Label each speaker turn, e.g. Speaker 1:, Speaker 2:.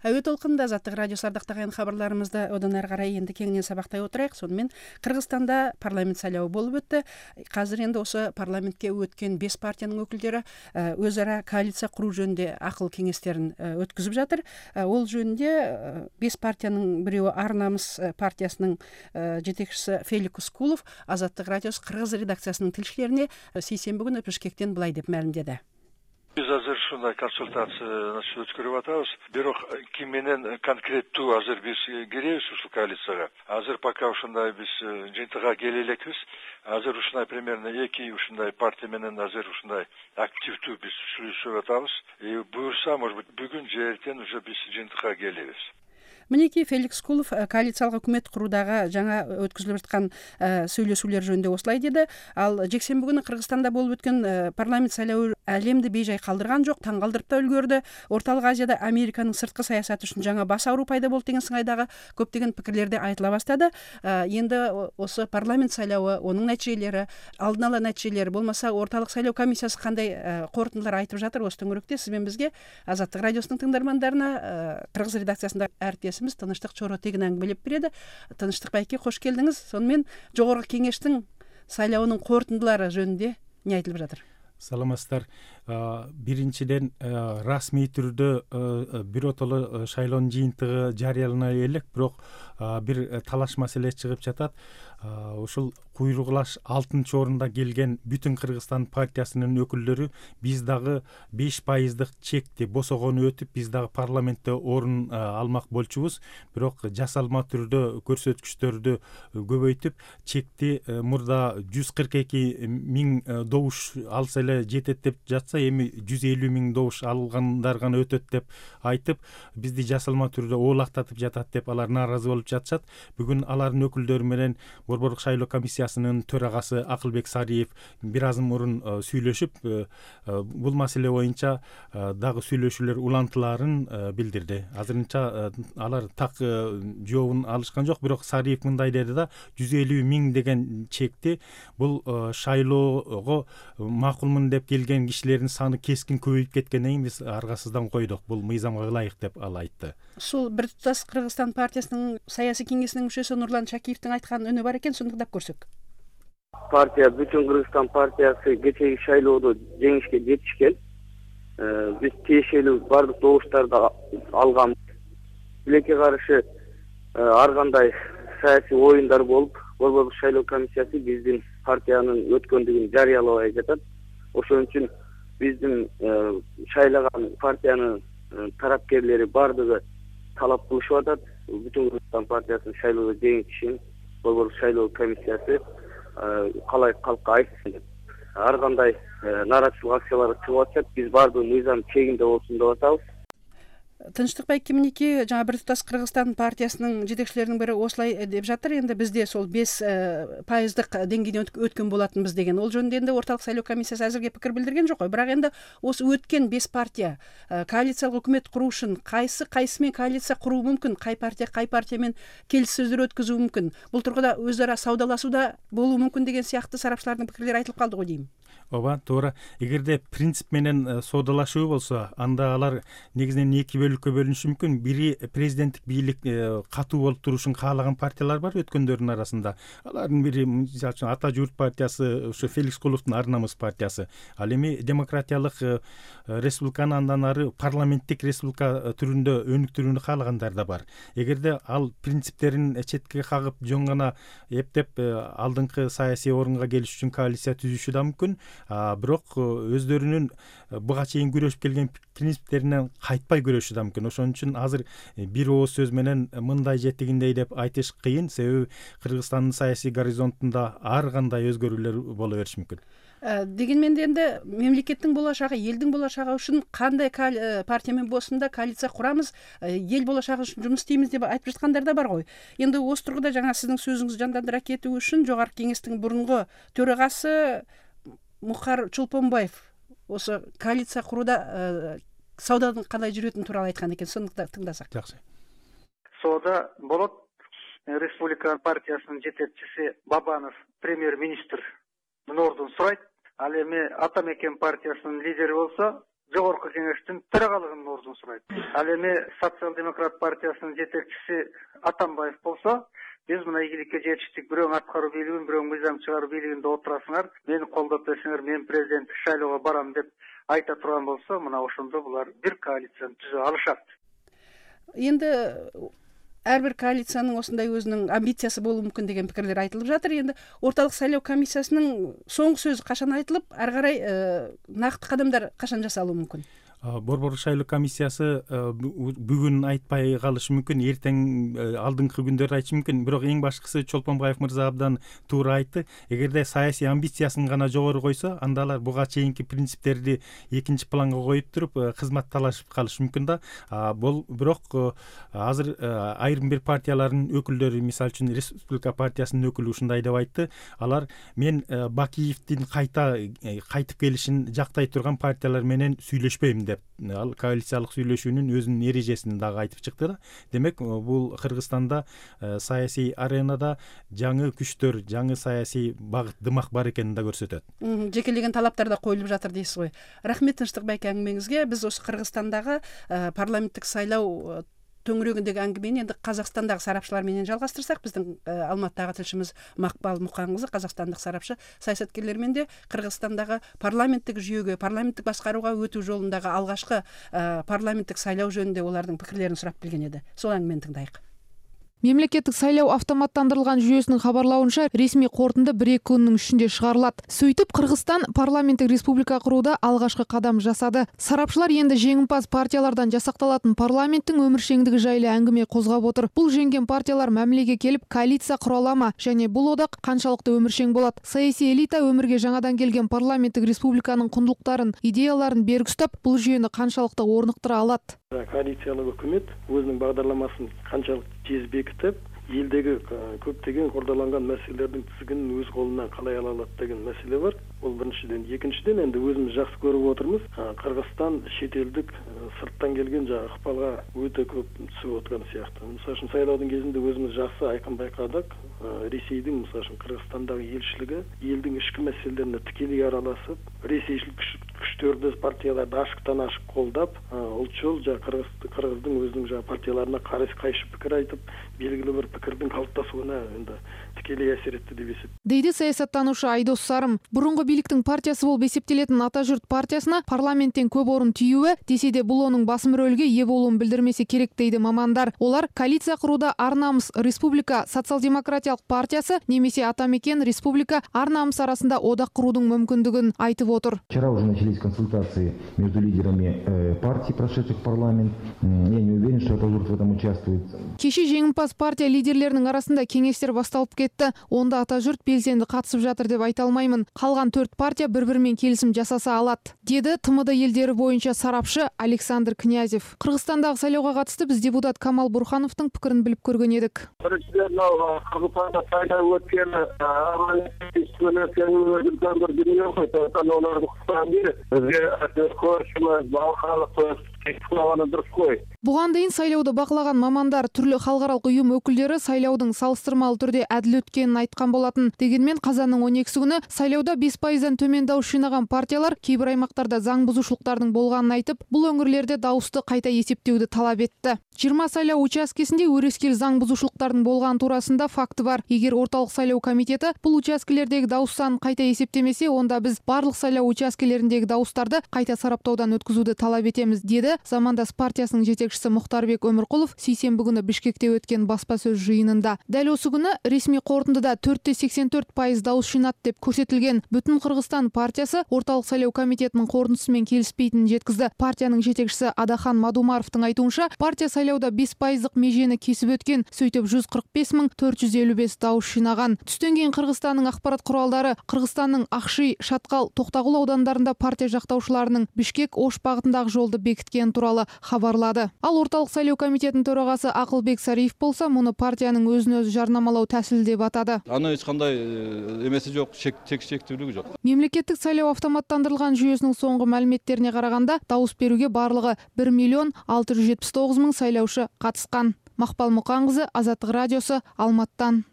Speaker 1: Әуе толкунда Азаттык радиосу ардактаган кабарларыбызды одан ары карай энди кеңинен сабактай отурайык. Сонун Кыргызстанда парламент шайлоо болуп өттү. Азыр энди ошо парламентке өткөн 5 партиянын өкүлдөрү өз ара коалиция куруу жөнүндө акыл кеңештерин өткүзүп жатыр. Ол жөнүндө 5 партиянын бирөө Ар намыс партиясынын жетекчиси Феликс Кулов Азаттык радиосу кыргыз редакциясынын тилчилерине сейсенби күнү Бишкектен былай деп маалимдеди.
Speaker 2: Биз азыр ушундай консультация өткөрүп атабыз. Бирок ким менен конкреттүү азыр биз киребиз ушул коалицияга. Азыр пока ушундай биз жыйынтыкка келе элекпиз. Азыр ушундай примерно 2 ушундай партия менен азыр ушундай активдүү биз сүйлөшүп атабыз. Буюрса, может быть, бүгүн же эртең уже биз жыйынтыкка келебиз.
Speaker 1: Мынеки Феликс Кулов коалициялык өкмөт куруудагы жаңа өткөзүлүп аткан сүйлөшүүлөр жөнүндө осулай деди. Ал жексенби күнү Кыргызстанда болуп өткөн парламент шайлоо әлемди бейжай калтырган жок, таң калтырып да үлгөрдү. Орталык Азияда Американын сырткы саясаты үчүн жаңа баш ауруу пайда болду деген сыңайдагы көптөгөн пикирлерди айтыла баштады. Энди осы парламент шайлоо, онун натыйжелери, алдын ала натыйжелери болмаса орталык шайлоо комиссиясы кандай корутундулар айтып жатыр? Осы төңөрөктө сиз менен бизге Азаттык радиосунун тыңдармандарына кыргыз редакциясында әріптесimiz Тыныштык Чоро тегин аңгымелеп береді. Тыныштык байке, кош келдиңиз. Сонымен жогорку кеңештин шайлоонун корутундулары жөнүндө эмне айтылып жатыр?
Speaker 3: Саламатсыздар. Биринчиден расмий түрдө биротоло шайлоонун жыйынтыгы жарыялана элек, бирок бир талаш маселе чыгып жатат. Ушул куйругулаш 6-орунда келген Бүтүн Кыргызстан партиясынын өкүлдөрү биз дагы 5% чекти босогону өтүп, биз дагы парламентте орун алмак болчубуз. Бирок жасалма түрдө көрсөткүчтөрдү көбөйтүп, чекти мурда 142 миң добуш алса эле жетет деп жатса, эми 150 миң добуш алгандар гана өтөт деп айтып, бизди жасалма түрдө оолактатып жатат деп алар нааразы болуп жатышат. Бүгүн алардын өкүлдөрү менен Борбордук шайлоо комиссиясынын төрагасы Акылбек Сариев бир азым мурун сүйлөшүп, бул маселе боюнча дагы сүйлөшүүлөр улантылаарын билдирди. Азырынча алар так жообун алышкан жок, бирок Сариев мындай деди да, 150 миң деген чекти бул шайлоого макулмун деп келген кишилердин саны кескин көбөйүп кеткенден кийин биз аргасыздан койдук. Бул мыйзамга ылайык деп ал айтты.
Speaker 1: Ушул Бир тутас Кыргызстан партиясынын саясий кеңесинин мүчөсү Нурлан Чакиевдин айткан үнү бар экен, сону тыңдап көрсөк.
Speaker 4: Партия Бүтүн Кыргызстан партиясы кечеги шайлоодо жеңишке жетишкен. Биз тиешелүү бардык добуштарды алганбыз. Тилекке каршы ар кандай саясий оюндар болуп, Борбордук шайлоо комиссиясы биздин партиянын өткөндүгүн жарыялабай жатат. Ошон үчүн биздин шайлаган партиянын тарапкерлери бардыгы талап кылышып атат. Бүтүн Кыргызстан партиясынын шайлоодо жеңишин Борбордук шайлоо комиссиясы калай калкка айтсын деп. Ар кандай нааразычылык акциялары чыгып атат. Биз бардыгы мыйзам чегинде болсун деп атабыз.
Speaker 1: Тынчтык байке, минеки жаңа Бир тутас Кыргызстан партиясынын жетекчилеринин бири осулай деп жатыр. Энди бизде сол 5% деңгейден өткөн болатынбыз деген. Ол жөнүндө энди орталык шайлоо комиссиясы азырге пикир билдирген жок. Бирок энди осы өткөн 5 партия коалициялык өкмөт куруу үчүн кайсы менен коалиция куруу мүмкүн? Кай партия менен келиссөздөр өткөзүү мүмкүн? Бул тургуда өз ара саудалашууда болуу мүмкүн деген сыяктуу сарапчылардын пикирлери айтылып калды го дейм.
Speaker 3: Ооба, туура. Эгерде принцип менен соодалашуу болсо, анда алар негизинен 2 бөлүккө бөлүнүшү мүмкүн. Бири президенттик бийлик катуу болуп турушун каалаган партиялар бар өткөндөрдүн арасында. Алардын бири, мисалы үчүн, Ата журт партиясы, ушу Феликс Куловдун Ар намыс партиясы. Ал эми демократиялык республиканы, андан ары парламенттик республика түрүндө өнүктүрүүнү каалагандар да бар. Эгерде ал принциптерин четке кагып, жөн гана эптеп алдыңкы саясий орунга келиш үчүн коалиция түзүшү да мүмкүн. Бирок өздөрүнүн буга чейин күрөшүп келген принциптеринен кайтпай күрөшү да мүмкүн. Ошон үчүн азыр бир ооз сөз менен мындай же тигиндей деп айтыш кыйын, себеби Кыргызстандын саясий горизонтунда ар кандай өзгөрүүлөр боло бериши мүмкүн.
Speaker 1: Дегенмен энди мемлекеттин болашагы, элдин болашагы үчүн кандай партия менен болсун да коалиция курамыз, эл болашагы үчүн жумуш истейбиз деп айтып жаткандар да бар го. Энди осы тургуда жаңа сиздин сөзүңүздү жандандыра кетүү үчүн жогорку кеңештин мурунку төрагасы Мухар Чулпонбаев осы коалиция курууда саудадын кандай жүрөтүнү тууралуу айткан экен. Сону тыңдасак.
Speaker 3: Жакшы.
Speaker 5: Соода болот. Республика партиясынын жетекчиси Бабанов премьер-министр ордун сурайт. Ал эми Ата мекен партиясынын лидери болсо жогорку кеңештин төрагалыгынын ордун сурайт. Ал эми Социал-демократ партиясынын жетекчиси Атамбаев болсо, биз мына ийгиликке жетиштик, бирөөң аткаруу бийлигин, бирөөң мыйзам чыгаруу бийлигинде отурасыңар, мени колдоп берсеңер, мен президенттик шайлоого барам деп айта турган болсо, мына ошондо булар бир коалицияны түзө алышат.
Speaker 1: Енді ар бир коалициянын осындай өзүнүн амбициясы болуу мүмкүн деген пикирлер айтылып жатыр. Енді орталык шайлоо комиссиясынын соңку сөзү качан айтылып, ары карай накты кадамдар качан жасалуу мүмкүн?
Speaker 3: Борбордук шайлоо комиссиясы бүгүн айтпай калышы мүмкүн, эртең алдыңкы күндөрдө айтышы мүмкүн. Бирок эң башкысы Чолпонбаев мырза абдан туура айтты. Эгерде саясий амбициясын гана жогору койсо, анда алар буга чейинки принциптерди экинчи планга коюп туруп кызмат талашып калышы мүмкүн да. Бирок азыр айрым бир партиялардын өкүлдөрү, мисалы үчүн Республика партиясынын өкүлү ушундай деп айтты. Алар мен Бакиевдин кайтып келишин жактай турган партиялар менен сүйлөшпөйм. Ал коалициялык сүйлөшүүнүн өзүнүн эрежесин дагы айтып чыкты да. Демек, бул Кыргызстанда саясий аренада жаңы күчтөр, жаңы саясий багыт, дымак бар экенин да көрсөтөт.
Speaker 1: Жекелеген талаптар да коюлуп жатыр дейсиз го. Рахмет Тынчтыкбек аңгемеңизге. Биз ошо Кыргызстандагы парламенттик сайлоо төңүрөгүндөгү аңгемени энди Казакстандагы сарапчылар менен жалгастырсак, биздин Алматыдагы тилшимиз Макбал Мукан кызы, казакстандык сарапчы, саясаткерлер менен парламенттик жүйөгө, парламенттик башкарууга өтүү жолундагы алгачкы парламенттик сайлоо жөнүндө олардын пикирлерин сурап билген эди. Сол аңгемени тыңдайык.
Speaker 6: Мемлекеттик сайлоо автоматтандырылган жүйөсүнүн кабарлауынча, ресми корутунду 1-2 күндүн ичинде чыгарылат. Сөйтүп, Кыргызстан парламенттик республика курууда алгачкы кадам жасады. Сарапчылар энди жеңимпаз партиялардан жасакталатын парламенттин өмүршеңдиги жайлы аңгеме козгоп отур. Бул жеңген партиялар мамилеге келип, коалиция кура алама, және бул одак канчалыкты өмүршең болот? Саясий элита өмүргө жаңадан келген парламенттик республиканын кундулуктарын, идеяларын бергүстөп, бул жүйөнү канчалыкты орнуктура алат?
Speaker 7: Коалициялык өкмөт өзүнүн багдырламасын канчалык тез бекитип, элдеги көптөгөн кордолонгон маселелердин тизигинин өз колуна калай ала алат деген маселе бар. Бул биринчиден. Экинчиден, энди өзүбүз жакшы көрүп отурмуз. Кыргызстан шет элдик сырттан келген ыкпалга өтө көп түшүп отурган сыяктуу. Мисалы үчүн сайлоодун кезинде өзүбүз жакшы айкын байкадык. Ресейдин, мисалы үчүн Кыргызстандагы элчилиги элдин ички маселелерине тикелей аралашып, ресейчилик күчтөрдү, партияларды ашыктан ашык колдоп, улчул Кыргыздын өзүнүн партияларына кайшы пикир айтып, белгилүү бир пикирдин калыптасууна энди тикелей асер этти деп эсептейм.
Speaker 6: Дейди саясаттануучу Айдос Сарым. Бурунку бийликтин партиясы болуп эсептелетін Ата журт партиясына парламенттен көп орун тийүүбү, десе де бул онун басым рөлгө ээ болуун билдирмеси керек дейди мамандар. Олар коалиция курууда Ар намыс Республика социал-демократиялык партиясы немесе Ата мекен Республика Ар намыс арасында одак куруудун мүмкүндүгүн айтып отур.
Speaker 8: Вчера уже начались консультации между лидерами партий, прошедших в парламент. Я не уверен, что Ата журт в этом участвует.
Speaker 6: Кечи жеңимпаз партия лидерлеринин арасында кеңештер башталып кетти. Онда Ата журт белсенди катышып жатыр деп айта алмаймын. Калган 4 партия бири-бири менен келисим жасаса алат, деди ТМД елдери боюнча сарапчы Александр Князев. Кыргызстандагы сайлоого катысты биз депутат Камал Бурхановдун пикирин билип көргөн едик.
Speaker 9: Кыргызстанда сайлоо өткөн
Speaker 6: Буган дейин сайлоодо бакылаган мамандар, түрлүү халкаралык уюм өкүлдөрү сайлоодун салыштырмалуу түрдө адил өткөнүн айткан болатын. Дегенмен казандын 12 күнү сайлоодо 5%дан төмөн дауыс жыйнаган партиялар кейбир аймактарда заң бузушулуктардын болгонун айтып, бул өңүрлөрдө дауысты кайта эсептөөдү талап этти. 20 сайлоо учаскесинде өрескел заң бузушулуктардын болгон туурасында факты бар. Эгер орталык сайлоо комитети бул учаскелердеги дауыс санын кайта эсептемесе, онда биз барлык сайлоо учаскелериндеги дауыстарды кайта сараптоодон өткүзүүдү талап этебиз, деди Замандас партиясынын жетекчиси Мухтарбек Өмүркулов сейсенбі күнү Бишкекте өткөн баспа сөз жыйынында. Дәл осы күнү ресми корутундуда 4,84% дауыс жыйнат деп көрсөтүлгөн Бүтүн Кыргызстан партиясы орталык сайлоо комитетинин корутундусу менен келиспейтинин жеткизди. Партиянын жетекчиси Адахан Мадумаровдун айтуунча, партия сайлоодо 5%дык межени кесип өткөн, сөйтүп 145,455 дауыс жыйнаган. Түстөн кийин Кыргызстандын акпарат куралдары Кыргызстандын Акши, Шаткал, Токтогул аудандарында партия жактаушыларынын Бишкек Ош багытындагы жолду бекиткен тууралуу кабарлады. Ал орталык сайлоо комитетинин төрагасы Акылбек Сариев болсо, муну партиянын өзүн өзү жарнамалоо тәсили деп атады.
Speaker 10: Аны эч кандай эмеси жок, чектүүлүгү жок.
Speaker 6: Мемлекеттик сайлоо автоматтандырылган жүйөсүнүн соңку маалиметтерине караганда, дауыс берүүгө барлыгы 1,679,000 сайлаушы катышкан. Макбал Мукан кызы, Азаттык радиосу, Алматтан.